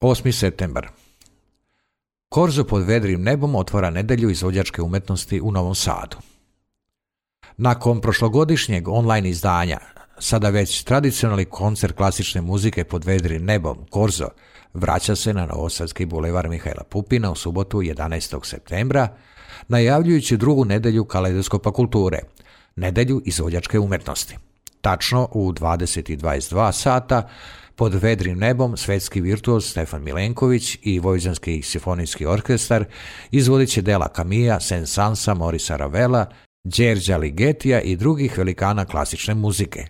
8. septembar. Korzo pod vedrim nebom otvara nedjelju izvođačke umjetnosti u Novom Sadu. Nakon prošlogodišnjeg online izdanja, sada već tradicionalni koncert klasične muzike pod vedrim nebom, Korzo, vraća se na Novosadski bulevar Mihajla Pupina u subotu 11. septembra, najavljujući drugu nedjelju Kaleidoskopa kulture, nedjelju izvođačke umjetnosti. Tačno u 20:22 sata, pod vedrim nebom svetski virtuoz Stefan Milenković i Vojvođanski simfonijski orkestar izvodit će dela Camilla, Saint-Sansa, Morisa Ravela, Đerđa Ligetija i drugih velikana klasične muzike.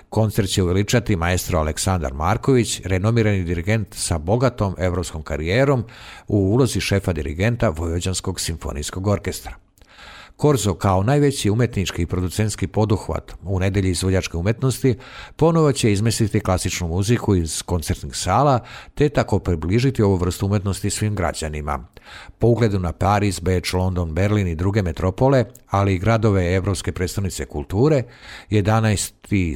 Koncert će uveličati maestro Aleksandar Marković, renomirani dirigent sa bogatom evropskom karijerom u ulozi šefa dirigenta Vojvođanskog simfonijskog orkestra. Korzo kao najveći umjetnički i producentski poduhvat u nedjelji izvođačke umjetnosti ponovo će izmisliti klasičnu muziku iz koncertnih sala te tako približiti ovu vrstu umjetnosti svim građanima. Po ugledu na Pariz, Beč, London, Berlin i druge metropole, ali i gradove Europske predstavnice kulture, 11.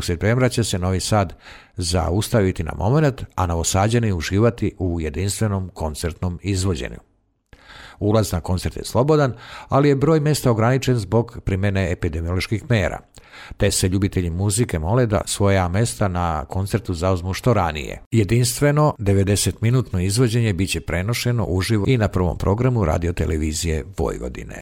septembra će se Novi Sad zaustaviti na moment, a Novosađani uživati u jedinstvenom koncertnom izvođenju. Ulaz na koncert je slobodan, ali je broj mjesta ograničen zbog primjene epidemioloških mjera, te se ljubitelji muzike mole da svoja mjesta na koncertu zauzmu što ranije. Jedinstveno 90-minutno izvođenje bit će prenošeno uživo i na prvom programu radiotelevizije Vojvodine.